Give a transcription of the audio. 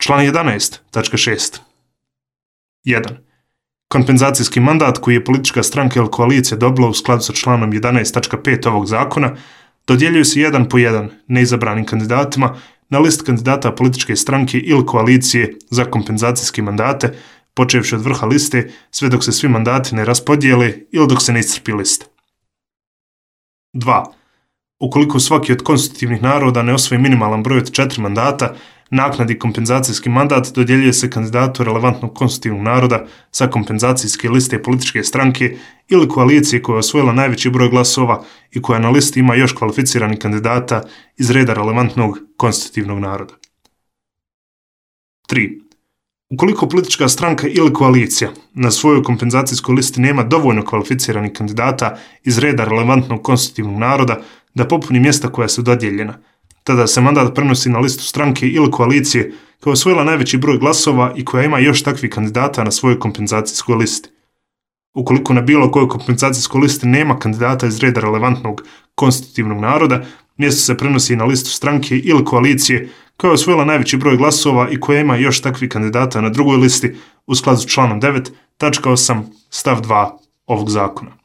Član 11.6. 1. Kompenzacijski mandat koji je politička stranka ili koalicija dobila u skladu sa članom 11.5 ovog zakona dodjeljuje se jedan po jedan neizabranim kandidatima na listi kandidata političke stranke ili koalicije za kompenzacijske mandate, počevši od vrha liste sve dok se svi mandati ne raspodijele ili dok se ne iscrpi lista. 2. Ukoliko svaki od konstitutivnih naroda ne osvoji minimalan broj od 4 mandata, naknadni kompenzacijski mandat dodjeljuje se kandidatu relevantnog konstitutivnog naroda sa kompenzacijske liste političke stranke ili koalicije koja je osvojila najveći broj glasova i koja na listi ima još kvalificiranih kandidata iz reda relevantnog konstitutivnog naroda. 3. Ukoliko politička stranka ili koalicija na svojoj kompenzacijskoj listi nema dovoljno kvalificiranih kandidata iz reda relevantnog konstitutivnog naroda da popuni mjesta koja su dodijeljena, tada se mandat prenosi na listu stranke ili koalicije koja je osvojila najveći broj glasova i koja ima još takvih kandidata na svojoj kompenzacijskoj listi. Ukoliko na bilo kojoj kompenzacijskoj listi nema kandidata iz reda relevantnog konstitutivnog naroda, mjesto se prenosi na listu stranke ili koalicije koja je osvojila najveći broj glasova i koja ima još takvih kandidata na drugoj listi u skladu s članom 9.8 stav 2 ovog zakona.